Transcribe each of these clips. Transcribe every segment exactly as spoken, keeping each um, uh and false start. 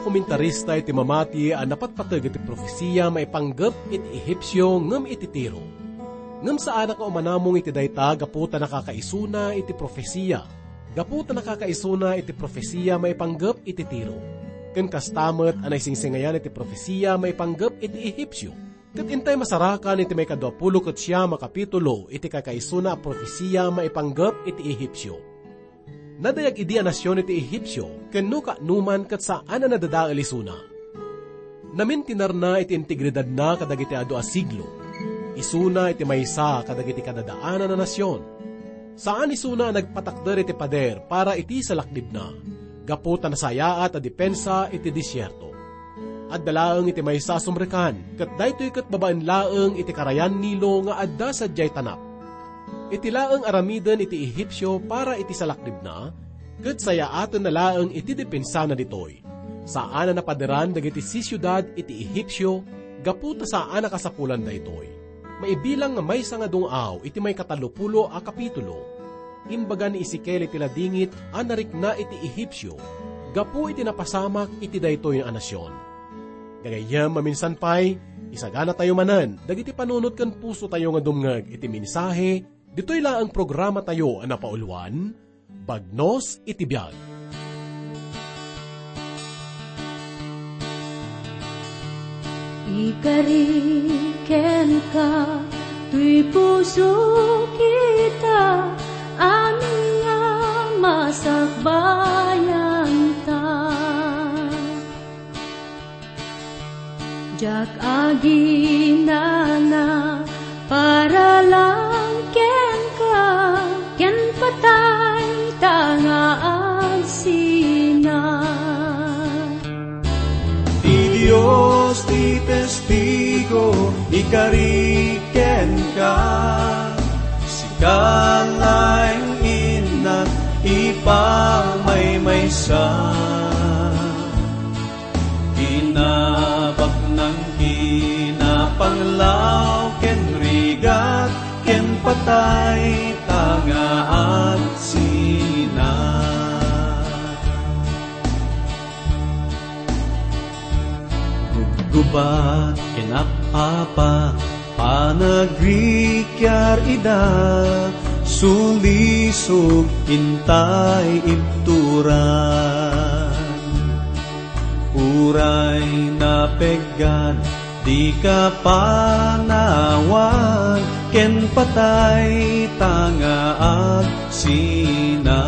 Komentarista iti mamati a napatpateg iti profesia maipanggep iti Ehipsio ngem iti Tiro. Ngem saanak nga umanamong iti dayta gapu ta nakakaisuna iti profesia. Gapu ta nakakaisuna iti profesia maipanggep iti Tiro. Ken kasta met a naisingsingayan iti profesia maipanggep iti Ehipsio. Ket intay masarakan iti maikadua pulo ket siam a kapitulo iti kakaisuna a profesia maipanggep iti Ehipsio. Nadayag idi a nasion iti Ehipsio, ken no kaanoman ket saan a nadadael isuna. Namintinarna iti integridadna kadagiti adu a siglo. Isuna iti maysa kadagiti kadadaanan a nasion. Saan isuna a nagpatakder iti pader para iti salaknibna, gapu ta nasayaat a depensa iti desierto. Adda laeng iti maysa a sumrekkan, ket daytoy ket babaen laeng iti karayan Nilo nga adda sadiay tanap. Iti laeng aramiden iti Ehipsio para iti salaknibna, ket sayaatenna laeng iti depensana ditoy. Saan a napaderan dagiti sisiudad iti Ehipsio gapu ta saan a kasapulan daytoy. Maibilang nga maysa nga dungaw iti maikatalopulo a kapitulo. Imbaga ni Ezekiel iti ladingit a narikna iti Ehipsio gapu iti napasamak iti daytoy a nasion. Gagayyem, maminsan pay, isaganatayo manen dagiti panunot ken pusotayo nga dumngeg iti mensahe ditoy laeng programatayo a napauluan, Bagnos iti Biag. Ikari kenka, toy puso kita, amin nga masakbayanta. Diak aginana para lang kenka, ken patay ta nga agsina. Ti Dios ti testigo, ikari kenka, sika laeng innak ipamaymaysa. Kinabaknang, kinapanglaw, ken rigat, ken patay ta nga agsina. Gubgubat ken apapa, panagrikiar ida, sulisog intay ibturan. Uray napeggan, dika panawan, ken patay ta nga agsina.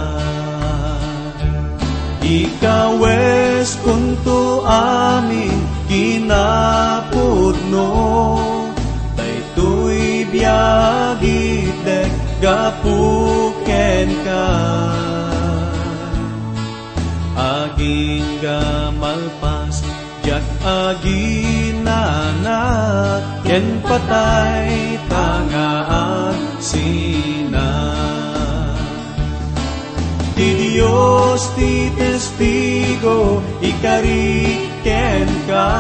Ikaweskonto amin kinapudno, daytoy biag itdek gapu kenka. Agingga malpas, diak aginana, ken patay ta nga agsina. Ti Dios ti testigo, ikari kenka,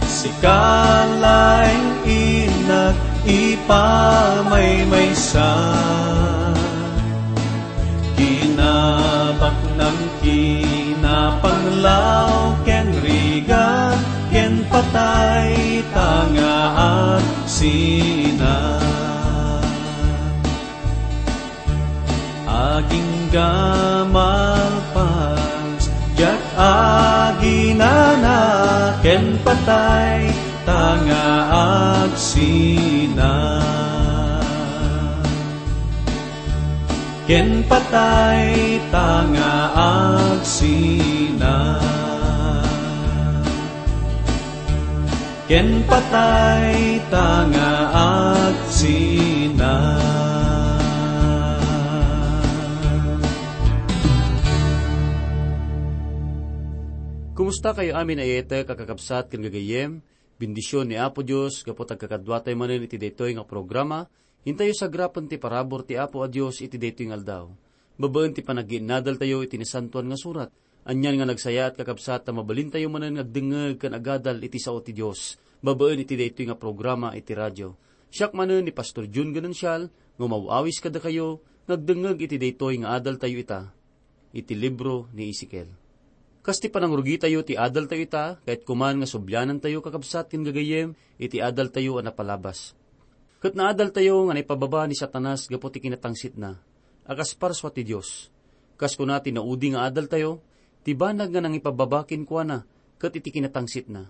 sika laeng innak ipamaymaysa. Kinabaknang, kinapanglaw, ken rigat, ken patay ta nga agsina. Agingga malpas, diak aginana, ken patay ta nga agsina. Ken patay ta nga agsina. Ken patay ta nga agsina. Kumusta kayo amin a iyetek a kakabsat ken gagayyem? Bendision ni Apo Dios gapu ta agkakaduatayo manen iti daytoy nga programa. Intayo sagrapen ti parabur ti Apo a Dios iti daytoy nga aldaw. Babaen ti panagginnadaltayo iti Nasantoan nga Surat, anian nga nagsayaat, kakabsat, ta mabalintayo manen nga agdengngeg ken agadal iti sao ti Dios, babaen iti daytoy nga programa iti radio. Siak manen ni Pastor Jun Ganancial nga umaw-awis kadakayo nga agdengngeg iti daytoy nga adaltayo ita, iti libro ni Ezekiel. Kas ti panangrugitayo ti adaltayo ita, kayatko man nga sublianantayo, kakabsat ken gagayyem, iti adaltayo a napalabas. Ket naadaltayo nga naipababa ni Satanas gapu ti kinatangsitna a kas parsua ti Dios. Kas kuna ti naudi nga adaltayo, ti banag nga nangipababa kenkuana ket iti kinatangsitna.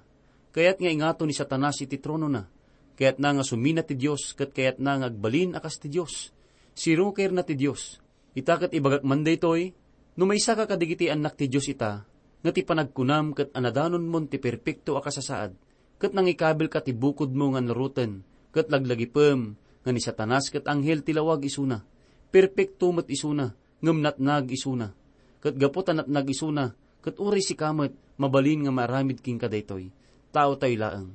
Kayat nga ingato ni Satanas iti tronona. Kayatna nga sumina ti Dios ket kayatna nga agbalin a kas ti Dios. Sirukirna ti Dios. Ita ket ibagak man daytoy, no maysaka kadagiti annak ti Dios ita, nga ti panagkunam ket anadanonmon ti perpekto a kasasaad, ket nangikabilka ti bukodmo nga naruten, ket laglagipem nga ni Satanas ket anghel ti lawag isuna. Perpekto met isuna, ngem natnag isuna. Ket gapu ta natnag isuna, ket uray sika met mabalin nga maaramid kenka daytoy, taotayo laeng.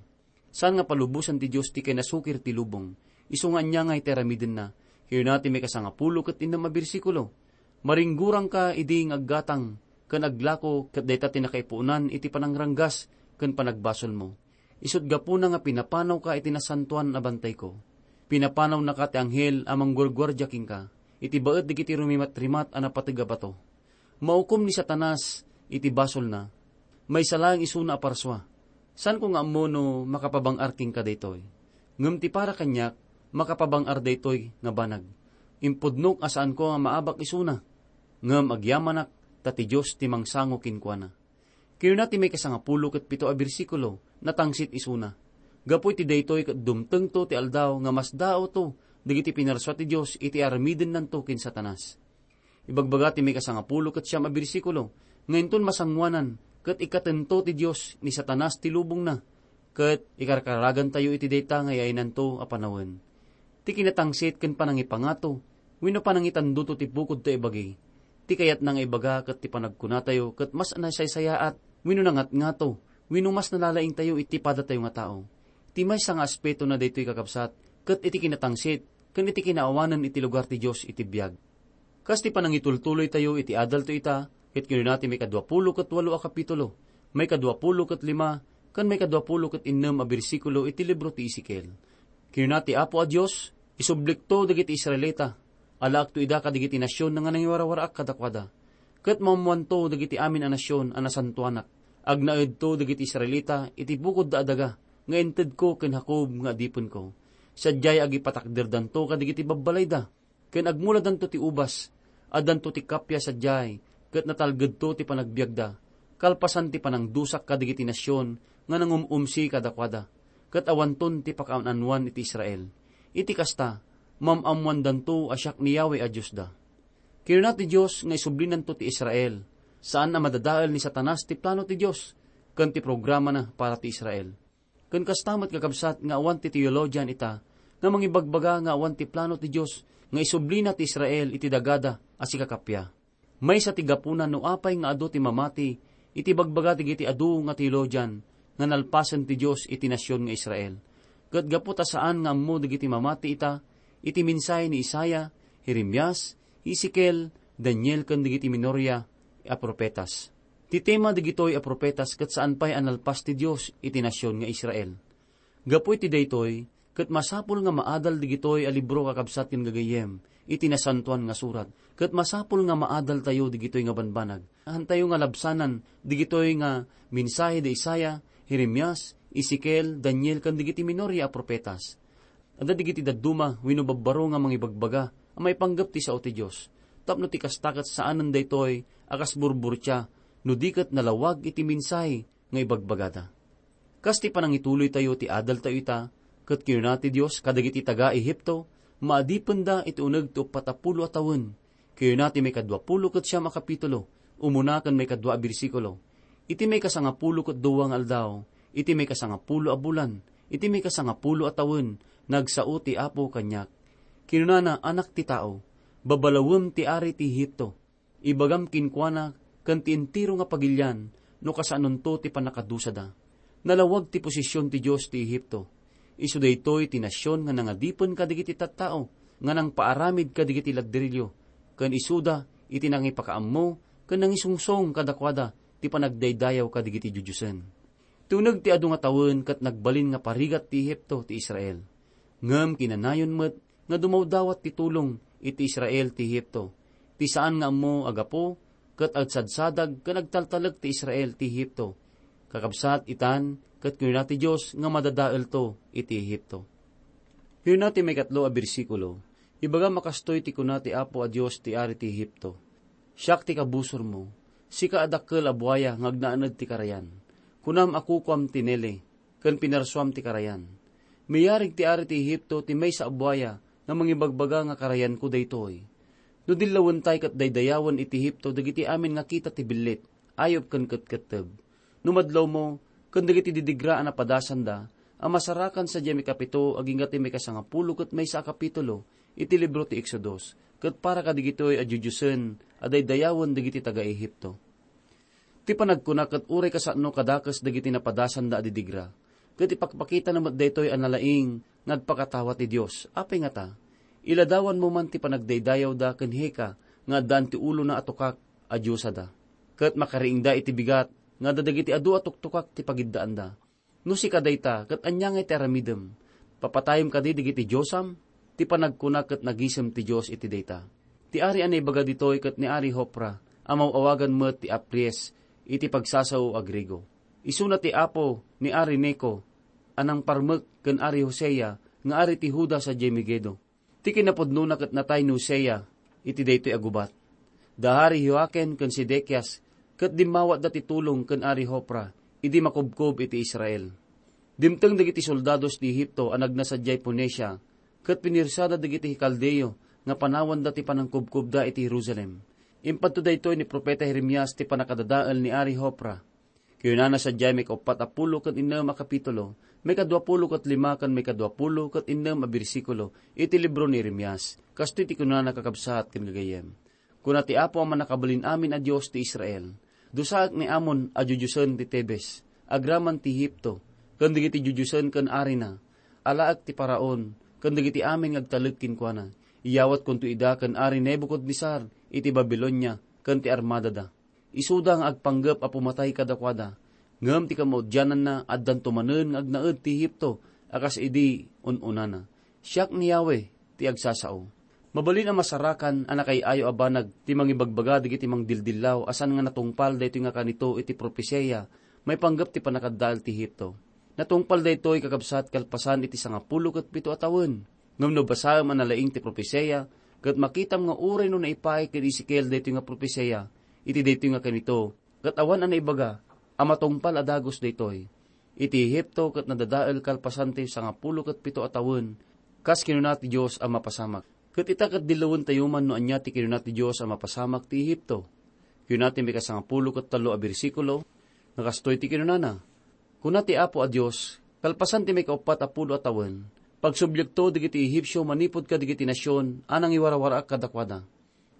Saan nga palubosan ti Dios ti kinasukir ti lubong, isu nga ania nga iti aramidenna. Kinuna ti maikasangapulo ket innem a bersikulo, "Maringgurangka idi nga aggatang ken aglako ket dayta ti nakaipuonan iti panangranggas ken panagbasolmo. Isut' gapuna nga pinapanawka iti nasantoan a bantayko. Pinapanawnaka ti anghel a mangguarguardia kenka iti baet dagiti rumimatrimat a napateg a bato." Maukom ni Satanas iti basolna. Maysa laeng isuna a parsua. Saanko nga ammo no makapabang-ar kenka daytoy. Ngem ti para kaniak, makapabang-ar daytoy nga banag. Impudnok a saanko nga maabak isuna. Ngem agyamanak ta ti Dios ti mangsango kenkuana. Kinuna ti maikasangapulo ket pito a bersikulo, natangsit isuna. Gapu iti daytoy ket dumtengto ti aldaw nga masdaawto dagiti pinarsua ti Dios iti aramidennanto ken Satanas. Ibagbaga ti maikasangapulo ket siam a bersikulo nga inton masangoanan ket ikkatento ti Dios ni Satanas ti lubongna, ket ikarkaragantayo iti dayta nga yaynanto a panawen. Ti kinatangsit ken panangipangato wenno panangitandoto ti bukodto a ibagi. Ti kayatna nga ibaga ket ti panagkunatayo ket mas nasaysayaat wenno nangatngato wenno mas nalalaingtayo iti padatayo nga tao. Ti maysa nga aspetona daytoy, kakabsat, ket iti kinatangsit ken iti kinaawanan iti lugar ti Dios iti biag. Kas ti panangitultuloytayo iti adalto ita, ket kinuna ti maikadua pulo ket walo a kapitulo, maikadua pulo ket lima, ken maikadua pulo ket innem a bersikulo iti libro ti Ezekiel. Kinuna ti Apo a Dios, "Isublikto dagiti Israelita, alaekto ida kadagiti nasion nga nangiwarawaraak kadakuada, ket maammoanto dagiti amin a nasion a nasantoanak. Agnaedto dagiti Israelita iti bukodda a daga nga intedko ken Jacob nga adipenko. Sadiay agipatakderdanto kadagiti babbalayda, ken agmuladanto ti ubas. Addanto ti kappia sadiay, ket natalgedto ti panagbiagda, kalpasan ti panangdusak kadagiti nasion nga nangum-umsi kadakuada, ket awanton ti pakaanoan iti Israel. Iti kasta, maam-ammoandanto a siak ni Yahweh a Diosda." Kinuna ti Dios nga isublinanto ti Israel. Saan a madadael ni Satanas ti plano ti Dios ken ti programana para ti Israel. Ken kasta met, kakabsat, nga awan ti teologian ita nga mangibagbaga nga awan ti plano ti Dios nga isublina ti Israel iti dagada a sikakappia. Maysa ti gapuna no apay nga adu ti mamati iti bagbaga dagiti adu nga teologian nga nalpasen ti Dios iti nasion nga Israel. Ket gapu ta saan nga ammo dagiti mamati ita iti mensahe ni Isaiah, Jeremias, Ezekiel, Daniel, ken dagiti minoria a profetas. Ti tema dagitoy a profetas ket saan pay a nalpas ti Dios iti nasion nga Israel. Gapu iti daytoy, ket masapul nga maadal dagitoy a libro, kakabsat ken gagayyem, iti Nasantoan nga Surat. Ket masapul nga maadaltayo dagitoy nga banbanag. Hantayo nga labsanan dagitoy nga mensahe da Isaiah, Jeremias, Ezekiel, Daniel, ken dagiti minoria a profetas. Adda dagiti dadduma wenno babbaro nga mangibagbaga a maipanggep ti sao ti Dios, tapno ti kasta ket saanen daytoy a kas burburtia no di ket nalawag iti mensahe nga ibagbagada. Kas ti panangituloytayo ti adaltayo ita, ket kinuna ti Dios kadagiti taga-Egipto, maadipenda iti uneg ti uppat a pulo a tawen. Kinuna ti maikadua pulo ket siam a kapitulo, umuna ken maikadua a bersikulo, "Iti maikasangapulo ket dua nga aldaw, iti maikasangapulo a bulan, iti maikasangapulo a tawen, nagsao ti Apo kaniak. Kinunana, 'Anak ti tao, babalawem ti ari ti Egipto. Ibagam kenkuana ken ti entero nga pagilian no kasaanonto ti pannakadusada. Nalawag ti posesion ti Dios ti Egipto. Isu daytoy ti nasion nga nangadipen kadagiti tattao nga nangpaaramid kadagiti ladderillo, ken isuda iti nangipakaammo ken nangisungsong kadakuada ti panagdaydayaw kadagiti diodiosen.'" Ti uneg ti adu nga tawen ket nagbalin nga parigat ti Egipto ti Israel. Ngem kinanayon met nga dumawdawat ti tulong iti Israel ti Egipto, ti saan nga ammo a gapu ket agsadsadag ken agtaltalek ti Israel ti Egipto. Kakabsat, itan, ket kinuna ti Dios nga madadaelto iti Egipto. Kinuna ti maikatlo a bersikulo, "Ibagam a kastoy ti kuna ti Apo a Dios ti ari ti Egipto, 'Siak ti kabusormo, sika a dakkel a buaya nga agnaaned ti karayan. Kunam a kukuam ti nele, ken pinarsuam ti karayan.' Miyarig ti ari ti Egipto ti maysa a buaya nga mangibagbaga nga karayanko daytoy. No dillawentay ket daydayawen iti Egipto dagiti amin nga kita ti billit, ayup ken ketketteb. No madlawmo, ken dagiti didigra a napadasanda, a masarakan sadiay maikapito agingga ti maikasangapulo ket maysa a kapitulo iti libro ti Exodus, ket para kadagitoy a diodiosen a daydayawen dagiti taga-Egipto." Ti panagkuna ket uray kasano kadakes dagiti napadasanda a didigra, ket ipakpakitana met daytoy a nalaing nga agpakatawa ti Dios. Apay ngata? Iladawanmo man ti panagdaydayawda ken Heka nga addaan ti ulona a tukak a diosada, ket makariingda iti bigat nga adda dagiti adu a tuktukak ti pagiddaanda. No sika dayta, ket ania ngay ti aramidem? Papatayem kadi dagiti diosam? Ti panagkuna ket nagisem ti Dios iti dayta. Ti ari a naibaga ditoy ket ni Ari Hopra, a maw-awagan met ti Apries iti pagsasao a Griego. Isuna ti apo ni Ari Neco a nangparmek ken Ari Hosea nga ari ti Juda sadiay Megiddo. Ti kinapudnona ket natay ni Hosea iti daytoy a gubat. Da Ari Joaquin ken Sedekias ket dimmawatda ti tulong ken Ari Hopra idi makubkob iti Israel. Dimteng dagiti soldados ti Egipto a nagna sadiay Phoenicia ket pinirsada dagiti Caldeo nga panawanda ti panangkubkobda iti Jerusalem. Impadto daytoy ni Profeta Jeremias ti pannakadadael ni Ari Hopra. Kinunana sadiay maikauppat a pulo ket innem a kapitulo, maikadua pulo ket lima ken maikadua pulo ket innem a bersikulo iti libro ni Jeremias. Kastoy ti kunana, kakabsat ken gagayyem, "Kuna ti Apo a Mannakabalin-amin a Dios ti Israel, 'Dusaek ni Amon a diodiosen ti Tebes, agraman ti Egipto, ken dagiti diodiosen ken arina. Alaek ti Faraon ken dagiti amin nga agtalek kenkuana. Iyawatkonto ida ken Ari Nebucadnezzar iti Babilonia ken ti armadada. Isuda nga agpanggep a pumatay kadakuada, ngem ti kamaudiananna addanto manen nga agnaed ti Egipto a kas idi un-unana. Siak ni Yahweh ti agsasao.'" Mabalin a masarakan a nakaay-ayo a banag ti mangibagbaga dagiti mangdildillaw a saan nga natungpal daytoy nga kanito iti propesia maipanggep ti pannakaddael ti Egipto. Natungpal daytoy, kakabsat, kalpasan iti sangapulo ket pito a tawen. Ngem no basaem a nalaing ti propesia, ket makitam nga uray no naipaay ken Ezekiel daytoy nga propesia iti daytoy nga kanito, ket awan a naibaga a matungpal a dagus daytoy. Iti Egipto ket nadadael kalpasan ti sangapulo ket pito a tawen, kas kinuna ti Dios a mapasamak. Ket ita ket dillawentayo man no ania ti kinuna ti Dios a mapasamak ti Egipto. Kinuna ti maikasangapulo ket tallo a bersikulo, nga kastoy ti kinunana, Kuna ti Apo a Dios, kalpasan ti maikauppat a pulo a tawen, pagsubliekto dagiti Egipsio manipud kadagiti nasion a nangiwarawaraak kadakuada.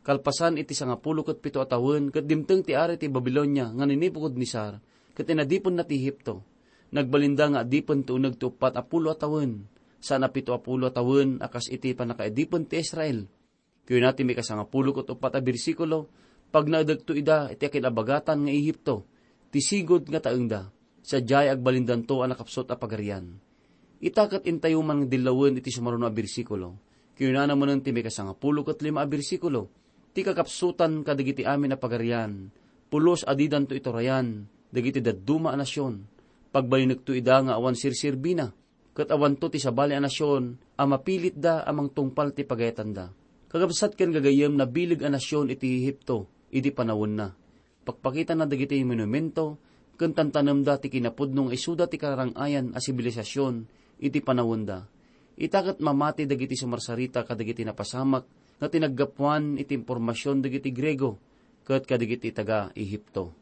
Kalpasan iti sangapulo ket pito a tawen, ket dimteng ti ari ti Babilonia nga ni Nebucadnezzar, ket inadipenna ti Egipto. Nagbalinda nga adipen ti uneg ti uppat a pulo a tawen, saan a pito a pulo a tawen a kas iti pannakaadipen ti Israel. Kuna ti maikasangapulo ket uppat a bersikulo, "Pagnaedekto ida iti akin-abagatan nga Egipto, ti sigud nga taengda, sadiay agbalindanto a nakapsut a pagarian." Ita ket intayo man nga dillawen iti sumaruno a bersikulo. Kinunana manen ti maikasangapulo ket lima a bersikulo, "Ti kakapsutan kadagiti amin a pagarian, pulos a didanto iturayan dagiti dadduma a nasion. Pagbalinekto ida nga awan serserbina, ket awanto ti sabali a nasion a mapilitda a mangtungpal ti pagayatanda." Kakabsat ken gagayyem, nabileg a nasion iti Egipto idi panawenna. Pakpakitana dagiti monumento ken tantanemda ti kinapudno nga isuda ti kararang-ayan a sibilisasion iti panawenda. Ita ket mamati dagiti sumarsarita kadagiti napasamak nga tinaggapuan iti impormasion dagiti Griego ket kadagiti taga-Egipto.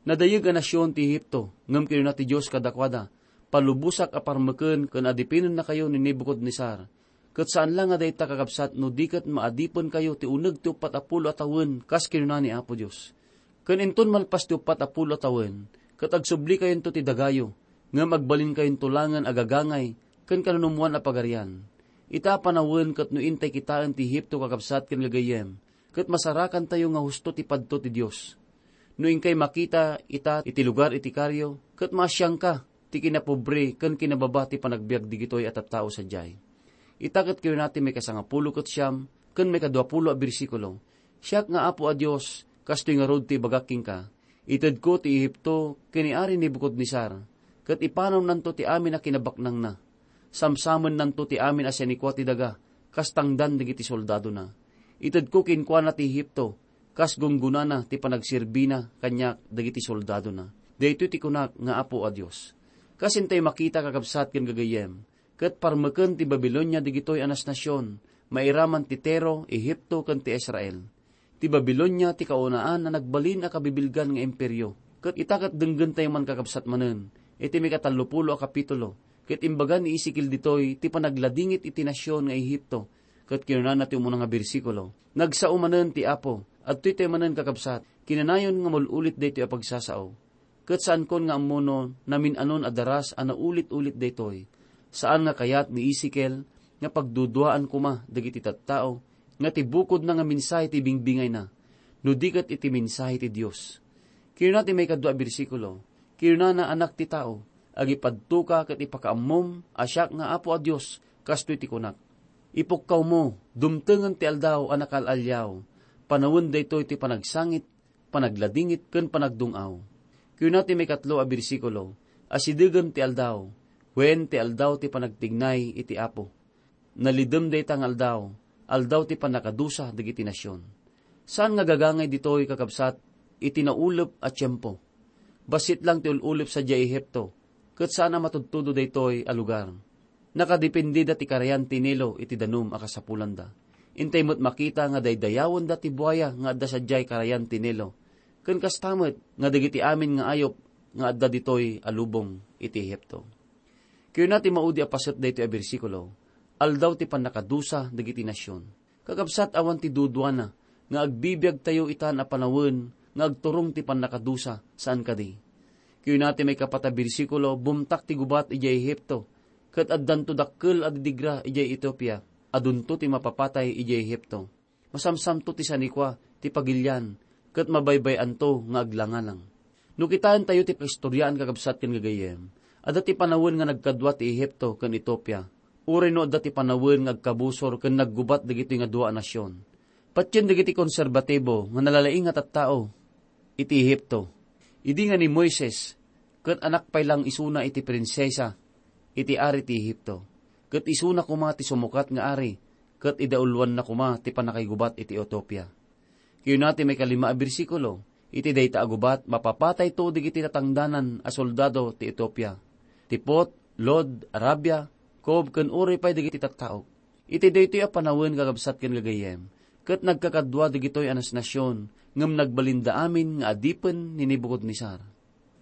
Nadayeg a nasion ti Egipto, ngem kinuna ti Dios kadakuada, "Palubosak a parmeken ken adipinennakayo ni Nebucadnezzar. Ket saan la nga dayta, kakabsat, no di ket maadipenkayo ti uneg ti uppat a pulo a tawen, kas kinuna ni Apo Dios. Ken inton malpas ti uppat a pulo a tawen, ket agsublikayon ti dagayo, ngem agbalinkayonto langen a gagangay ken kanunummoan a pagarian." Ita a panawen ket no intay kitaen ti Egipto, kakabsat ken gagayyem, ket masarakantayo nga husto ti padto ti Dios. No inkay makita ita iti lugar iti kario, ket maasianka ti kinapobre ken kinababa ti panagbiag digitoy a tattao sadiay. Ita ket kinuna ti maikasangapulo ket siam ken maikaduapulo a bersikulo, "Siak nga Apo a Dios, Kastoy ngarud ti ibagak kenka, itedko ti Egipto ken ni Ari Nebucadnezzar, ket ipanawnanto ti amin a kinabaknangna. Samsamennanto ti amin a sinikua ti daga, kas tangdan dagiti soldadona. Itedko kenkuana ti Egipto, kas gunggonana ti panagserbina kaniak dagiti soldadona. Daytoy ti kunak nga Apo a Dios. Kas intay makita, kakabsat ken gagayyem, ket parmeken ti Babilonia dagitoy a nasnasion, mairaman ti Tiro, Egipto, ken ti Israel. Ti Babilonia ti kaunaan a nagbalin a kabibilgan nga imperio. Ket ita ket denggentayo man, kakabsat manen, iti maikatallopulo a kapitulo, ket imbaga ni Ezekiel ditoy ti panagladingit iti nasion nga Egipto. Ket kinunana ti umuna nga bersikulo, "Nagsao manen ti Apo." Adtoy tayo manen, kakabsat, kinanayon nga maul-ulit daytoy a pagsasao. Ket saankon nga ammo no namin-anon a daras a naulit-ulit daytoy. Saan nga kayat ni Ezekiel nga pagduduaan koma dagiti tattao nga ti bukodna nga mensahe ti bingbingayna, no di ket iti mensahe ti Dios. Kinuna ti maikadua a bersikulo, kinunana, "Anak ti tao, agipadtoka ket ipakaammom a siak nga Apo a Dios, kastoy ti kunak: Ipukkawmo, dumtengen ti aldaw a nakaal-aliaw, panawen daytoy ti panagsangit, panagladingit, ken panagdung-aw." Kuna ti maikatlo a bersikulo, "Asidegem ti aldaw, wen ti aldaw ti panagtignay iti Apo. Nalidem dayta nga aldaw, aldaw ti pannakadusa dagiti nasion." Saan nga gagangay ditoy, kakabsat, iti naulep a tiempo. Bassit lang ti ul-ulep sadiay Ehipto, ket saan a matudtudo daytoy a lugar. Nakadependeda ti karayan ti Nilo iti danum a kasapulanda. Intay met makita nga daydayawenda ti buaya nga adda sadiay karayan ti Nilo, ken kasta met nga dagiti amin nga ayup nga adda ditoy a lubong iti Ehipto. Kuna ti maudi a paset daytoy a bersikulo, "Aldaw ti pannakadusa dagiti nasion." Kakabsat, awan ti duduana nga agbibiagtayo itan a panawen nga agturong ti pannakadusa, saan kadi? Kuna ti maikapat a bersikulo, "Bumtak ti gubat idiay Ehipto, ket addanto dakkel a didigra idiay Etiopia. Adunto ti mapapatay idiay Ehipto. Masamsamto ti sanikua ti pagilian, ket mabaybay-anto nga aglangalang." No kitaentayo ti pakaistoriaan, kakabsat ken gagayyem, adda ti panawen nga nagkadua ti Ehipto ken Etiopia. Uray no adda ti panawen nga agkabusor ken naggubat dagitoy nga dua a nasion. Patien dagiti konserbatibo nga nalalaing a tattao iti Ehipto. Idi nga ni Moises ket anak pay lang isuna iti prinsesa iti ari ti Ehipto, ket isuna koma ti sumukat nga ari, ket idauloanna koma ti pannakaigubat iti Etiopia. Kuna ti maikalima a bersikulo, "Iti dayta a gubat, mapapatayto dagiti tatangdanan a soldado ti Etiopia, ti Put, Lud, Arabia, Kub, ken uray pay dagiti tattaok." Iti daytoy a panawen, kakabsat ken gagayyem, ket nagkakadua dagitoy a nasnasion, ngem nagbalinda amin nga adipen ni Nebucadnezzar.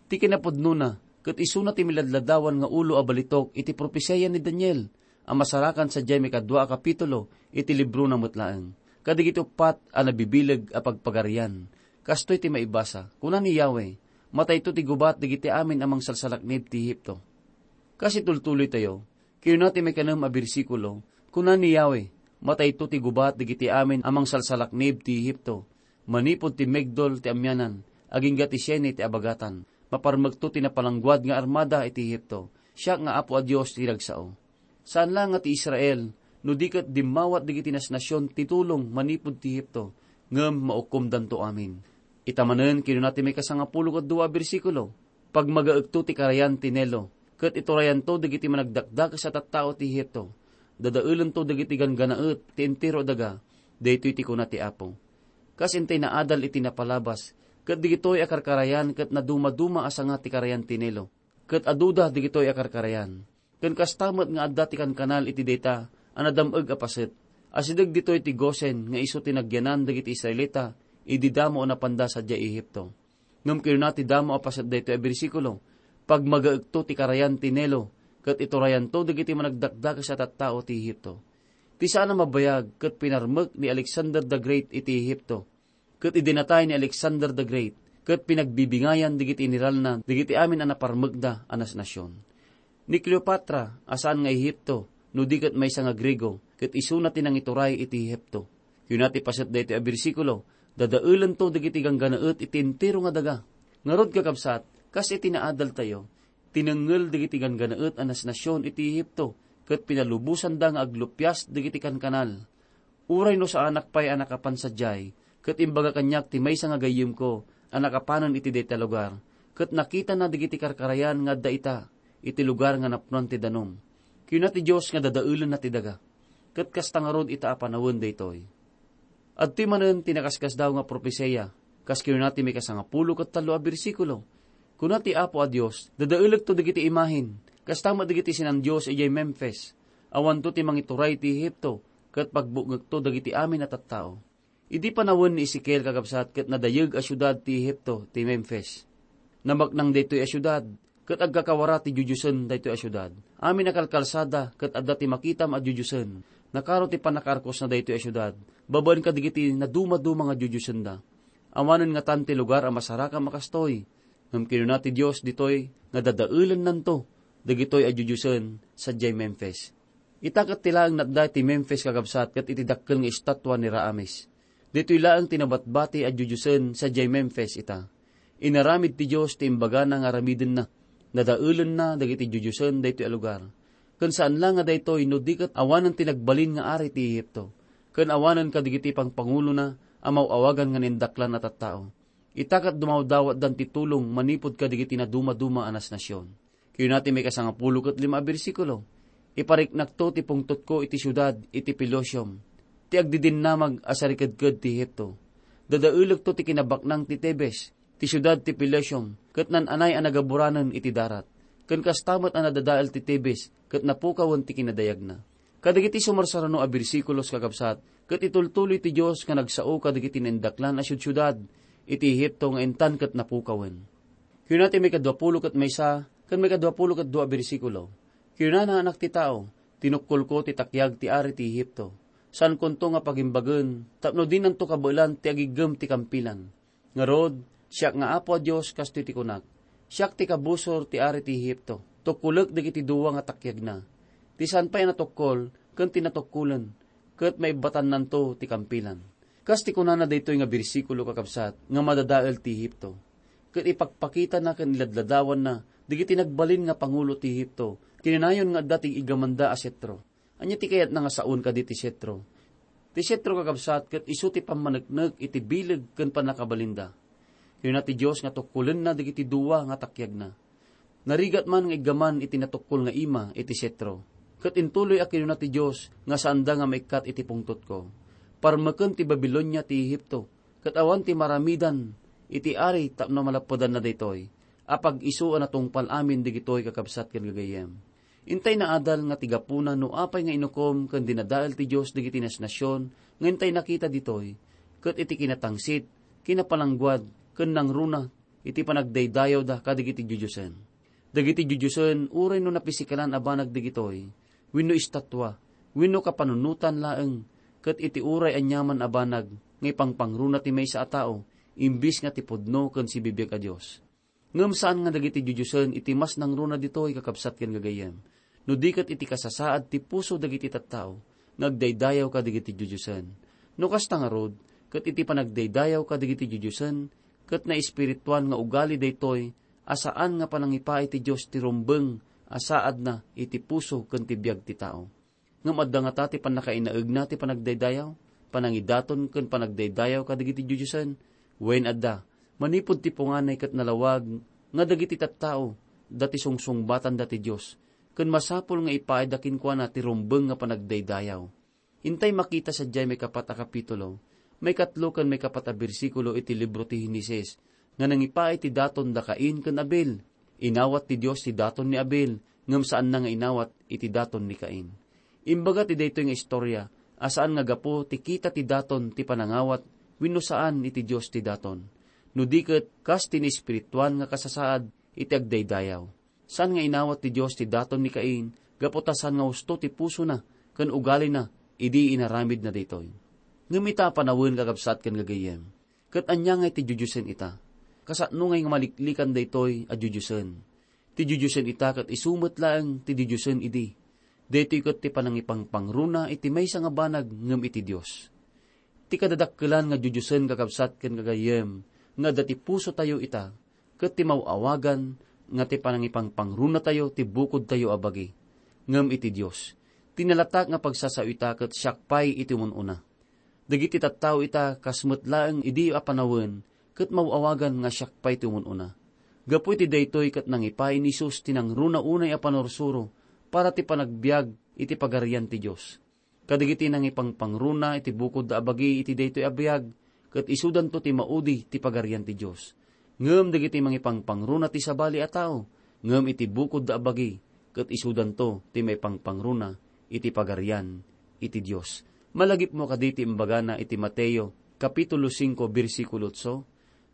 Ti kinapudnona, ket isuna ti miladladawan nga ulo a balitok iti propesiya ni Daniel a masarakan sadiay maikadua a kapitulo iti librona met laeng, kadagiti uppat a nabibileg a pagpagarian. Kastoy ti maibasa, kuna ni Yahweh, "Matayto ti gubat dagiti amin a mangsalsalaknib ti Ehipto." Kas itultuloytayo, kuna ti maikanem a bersikulo, kuna ni Yahweh, "Matayto ti gubat dagiti amin a mangsalsalaknib ti Ehipto, manipud ti Migdol ti amianan, agingga ti Siene ti abagatan. Maparmekto ti napalangguad nga armada iti Ehipto. Siak nga Apo a Dios ti nagsao." Saan la nga ti Israel, no di ket dimmawat dagiti nasnasion ti tulong manipud ti Ehipto, ngem maukomdanto amin. Ita manen, kinuna ti maikasangapulo ket dua a bersikulo, "Pagmagaekto ti karayan ti Nilo, ket iturayanto dagiti managdakdakes a tattao ti Ehipto. Dadaelento dagiti ganggannaet ti entero a daga, daytoy ti kuna ti Apo." Kas intay naadal iti napalabas, ket dagitoy a karkarayan ket nadumaduma a sanga ti karayan ti Nilo, ket aduda dagitoy a karkarayan. Ken kasta met nga adda ti kankanal iti dayta a nadam-eg a paset. Asideg ditoy ti Gosen nga isu ti nagyanan dagiti Israelita idi damo a napanda sadiay Ehipto. Ngem kinuna ti damo a paset daytoy a bersikulo, "Pagmagaekto ti karayan ti Nilo, ket iturayanto dagiti managdakdakes a tattao ti Ehipto." Ti saan a mabayag ket pinarmek ni Alexander the Great iti Ehipto, ket idi natay ni Alexander the Great, ket pinagbibingayan dagiti generalna dagiti amin a naparmekda a nasnasion. Ni Cleopatra a saan nga Ehipto, no di ket maysa nga Griego, ket isuna ti nangituray iti Ehipto. Kuna ti paset daytoy a bersikulo, "Dadaelento dagiti ganggannaet iti entero nga daga." Ngarud, kakabsat, kas iti naadaltayo, tinengngel dagiti ganggannaet a nasnasion iti Ehipto, ket pinalubosanda nga aglupias dagiti kankanal. Uray no saanak pay a nakapan sadiay, Ket imbaga kaniak ti maysa nga gayyemko a nakapanen iti dayta lugar, ket nakitana dagiti karkarayan nga adda ita iti lugar nga napnoan ti danum. Kinuna ti Dios nga dadaelenna ti daga. Ket kasta ngarud ita a panawen daytoy. Adtoy manen ti nakaskasdaaw nga propesia, kas kinuna ti maikasangapulo ket tallo a bersikulo. Kuna ti Apo a Dios, "Dadaelekto dagiti imahen, kasta met dagiti sinan-dios idiay Memfis. Awanto ti mangituray iti Egipto, ket pagbukngekto dagiti amin a tattao." Idi panawen ni Ezekiel, kakabsat, ket nadayeg a siudad ti Egipto ti Memfis. Nabaknang daytoy a siudad, ket agkakawara ti diodiosen daytoy a siudad. Amin a kalkalsada ket adda ti makitam a diodiosen. Nakaro ti pannakaarkosna daytoy a siudad, babaen kadagiti nadumaduma nga diodiosenda. Awanen ngatan ti lugar a masarakam a kastoy. Ngem kinuna ti Dios ditoy nga dadaelennanto dagitoy a diodiosen sadiay Memfis. Ita ket ti laeng natda iti Memfis, kakabsat, ket iti dakkel nga estatua ni Raamis. Ditoy laeng ti nabatbati a diodiosen sadiay Memfis ita. Inaramid ti Dios ti imbagana nga aramidenna. Nadaelenna dagiti diodiosen daytoy a lugar. Ken saan la nga daytoy no di ket awanen ti nagbalin nga ari ti Egipto, ken awanen kadagiti pangpangulona a maw-awagan nga naindaklan a tattao. Ita ket dumawdawatdan ti tulong manipud kadagiti nadumaduma a nasnasion. Kinuna ti maikasangapulo ket lima a bersikulo, "Ipariknakto ti pungtotko iti siudad iti Pelusium, ti agdidinnamag a sarikedked ti Egipto. Dadaelekto ti kinabaknang ti Tebes, ti siudad ti Pelusium, ket naan-anay a nagaburanen iti darat. Ken kasta met a nadadael ti Tebes ket napukawen ti kinadayagna." Kadagiti sumarsarano a bersikulos, kakabsat, ket itultuloy ti Dios nga nagsao kadagiti naindaklan a siudsiudad iti Egipto nga intan ket napukawen. Kinuna ti maikadua pulo ket maysa ken maikadua pulo ket dua a bersikulo, "Kinunana, anak ti tao, tinukkolko ti takiag ti ari ti Egipto. Saankonto nga pagimbagen tapno dinanto kabaelan ti agiggem ti kampilan. Ngarud, siak nga Apo a Dios, kastoy ti kunak: Siak ti kabusor ti ari ti Egipto. Tukkolek dagiti dua nga takiagna. Ti saan pay a natukkol ken ti natukkolen, ket maibbatannanto ti kampilan." Kas ti kunana daytoy nga bersikulo, kakabsat, nga madadael ti Egipto, ket ipakpakitana ken iladladawanna dagiti nagbalin nga pangulo ti Egipto, kinanayon nga adda ti igamanda a setro. Ania ti kayatna nga saon kadi ti setro? Ti setro, kakabsat, ket isu ti pammaneknek iti bileg ken pannakabalinda. Kinuna ti Dios nga tukkolenna dagiti dua nga takiagna. Narigat man nga iggaman iti natukkol nga ima iti setro. Ket intuloy a kinuna ti Dios nga saanda nga maikkat iti pungtotko. Parmeken ti Babilonia ti Egipto, ket awan ti maramidan iti ari tapno malappedanna daytoy. Apag isu a natungpal amin dagitoy, kakabsat ken gagayyem. Intay naadal nga ti gapuna no apay nga inukom ken dinadael ti Dios dagiti nasnasion nga intay nakita ditoy, ket iti kinatangsit, kinapalangguad, ken nangruna iti panagdaydayawda kadagiti diodiosen. Dagiti diodiosen, uray no napisikalan a banag dagitoy, wenno estatua, wenno kapanunotan laeng, ket iti uray aniaman a banag nga ipangpangruna ti maysa a tao, imbis nga ti pudno ken sibibiag a Dios. Ngem saan nga dagiti diodiosen iti mas nangruna ditoy, kakabsat ken gagayyem, no di ket iti kasasaad ti puso dagiti tattao nga agdaydayaw kadagiti diodiosen. No kasta ngarud, ket iti panagdaydayaw kadagiti diodiosen, ket naespirituan nga ugali daytoy a saan nga panangipaay ti Dios ti rumbeng a saadna iti puso ken ti biag ti tao. Ngem adda ngata ti pannakainaegna ti panagdaydayaw, panangidaton ken panagdaydayaw kadagiti diodiosen? Wen, adda. Manipud ti punganay ket nalawag nga dagiti tattao, da ti sungsungbatanda ti Dios, ken masapul nga ipaayda kenkuana ti rumbeng nga panagdaydayaw. Intay makita sadiay maikapat a kapitulo, maikatlo ken maikapat a bersikulo iti libro ti Genesis, nga nangipaay ti daton da Cain ken Abel. Inawat ti Dios ti daton ni Abel, ngem saanna nga inawat iti daton ni Cain. Imbaga ti daytoy nga istorya a saan nga gapu ti kita ti daton ti panangawat wenno saan iti Dios ti daton, no di ket kas ti naespirituan nga kasasaad iti agdaydayaw. Saan nga inawat ti Dios ti daton ni Cain gapu ta saan nga husto ti pusona ken ugalina idi inaramidna daytoy. Ngem ita a panawen, kakabsat ken gagayyem, ket ania ngay ti diodiosen ita? Kasano ngay nga maliklikan daytoy a diodiosen? Ti diodiosen ita ket isu met laeng ti diodiosen idi. Daytoy ket ti panangipangpangruna iti maysa nga banag ngem iti Dios. Ti kadadakkelan nga diodiosen, kakabsat ken gagayyem, nga adda ti pusotayo ita, ket ti maw-awagan nga ti panangipangpangrunatayo ti bukodtayo a bagi, ngem iti Dios. Ti nalatak nga pagsasao ita ket siak pay iti umun-una. Dagiti tattao ita kas met laeng idi a panawen, ket maw-awagan nga siak pay ti umun-una. Gapu iti daytoy ket nangipaay ni Jesus ti nangruna unay a panursuro para ti panagbiag iti Pagarian ti Dios. Kadagiti nangipangpangruna iti bukodda a bagi iti daytoy a biag, ket isudanto ti maudi ti Pagarian ti Dios. Ngem dagiti mangipangpangruna ti sabali a tao, ngem iti bukodda a bagi, ket isudanto ti maipangpangruna iti Pagarian iti Dios. Malagipmo kadi ti imbagana iti Mateo, Kapitulo singko, bersikulo otso,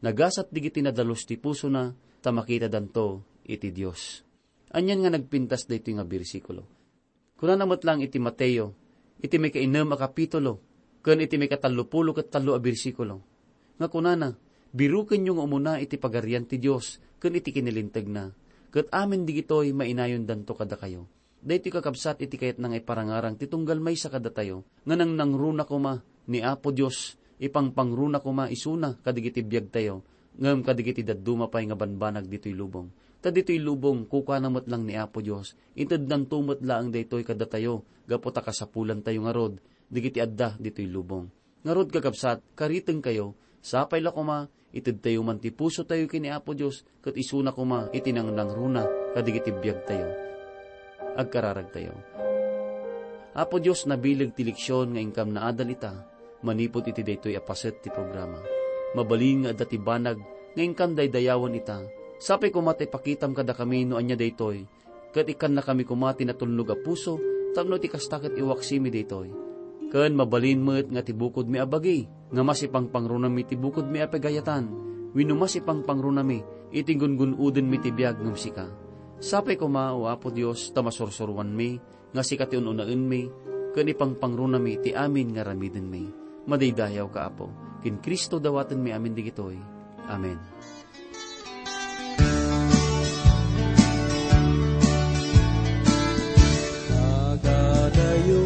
"Nagasat dagiti nadalus ti pusona, ta makitadanto iti Dios." Anian nga nagpintas daytoy nga bersikulo? Kunana met laeng iti Mateo, iti maikainnem a kapitulo, ken iti maikatallopulo ket tallo a bersikulo, nga kunana, "Birukenyo nga umuna iti Pagarian ti Dios ken iti kinilintegna, ket amin digitoy mainayondanto kadakayo." Daytoy, kakabsat, iti kayatna nga iparangarang ti tunggal maysa kadatayo nga nangnangruna koma ni Apo Dios, ipangpangruna koma isuna kadagiti biagtayo, ngem kadagiti dadduma pay nga banbanag ditoy lubong. Ta ditoy lubong, kukana met lang ni Apo Dios, itednanto met laeng daytoy kadatayo gapu ta kasapulantayo ngarud dagiti adda ditoy lubong. Ngarud, kakabsat, karitengkayo, sapay la koma, itedtayo man ti pusotayo ken ni Apo Dios, ket isuna koma iti nangnangruna kadagiti biagtayo. Agkararagtayo. Apo Dios, nabileg ti leksion nga inkam naadal ita manipud iti daytoy a paset ti programa. Mabalin nga adda ti banag nga inkam daydayawen ita. Sapay koma ta ipakitam kadakami no ania daytoy, ket ikkannakami koma ti natulnog a puso tapno iti kasta ket iwaksimi daytoy. Ken mabalin met nga ti bukodmi a bagi nga masipangpangrunami ti bukodmi a pagayatan wenno masipangpangrunami iti gungun-odenmi ti biag ngem sika. Sapay koma, O Apo Dios, ta masursuroanmi nga sika ti un-unaenmi ken ipangpangrunami ti amin nga aramidenmi. Madaydayawka, Apo. Ken Cristo dawatenmi amin digitoy. Amen. Dagadayo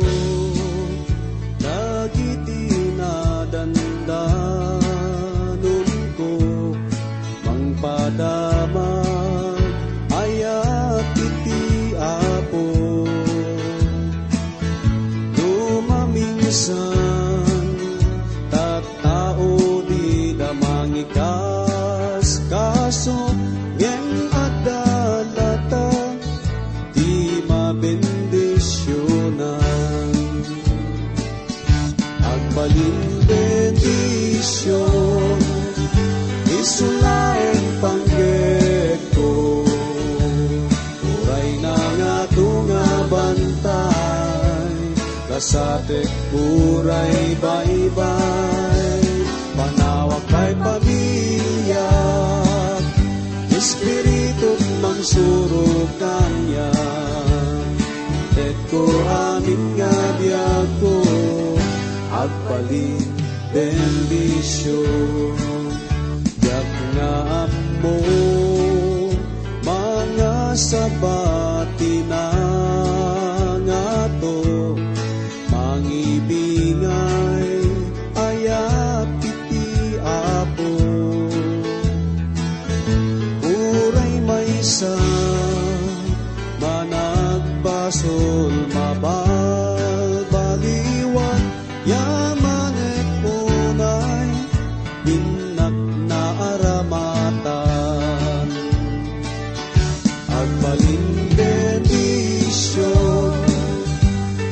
dagiti nadandanonko, mangpadamag ayat iti Apo. No maminsan, tattao dida mangikaskaso, ngem adda latta ti mabendisionan. Agbalin bendision, isu laeng panggepko. Uray nangato nga bantay, kasatek uray baybay. Panawak pay pamiliak, Espiritu mangsurok kaniak. Intekko amin nga biagko, agbalin bendision. Diak nga ammo, mangasaba ti nangato, mangibingay ayat iti Apo. Uray maysa managbasol, mabalbaliwan, yamanek unay, innak naaramatan. Agbalin bendision,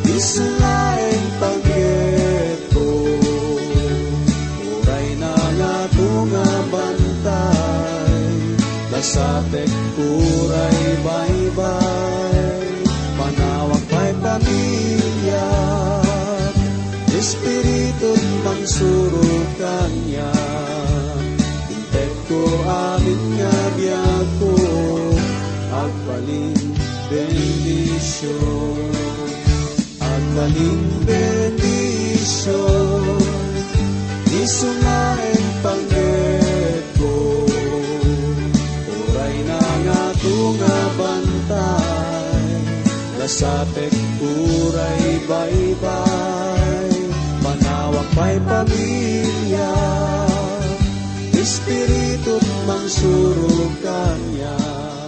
isu laeng panggepko. Uray nangato nga bantay, kasatek uray baybay. Panawak pay pamiliak, Espiritu mangsurok kaniak. Intekko amin nga biagko, agbalin bendision. Agbalin bendision, isu laeng panggepko. Uray nangato nga bantay, kasatek uray baybay. Panawak pay pamiliak, Espiritu mangsurok kaniak.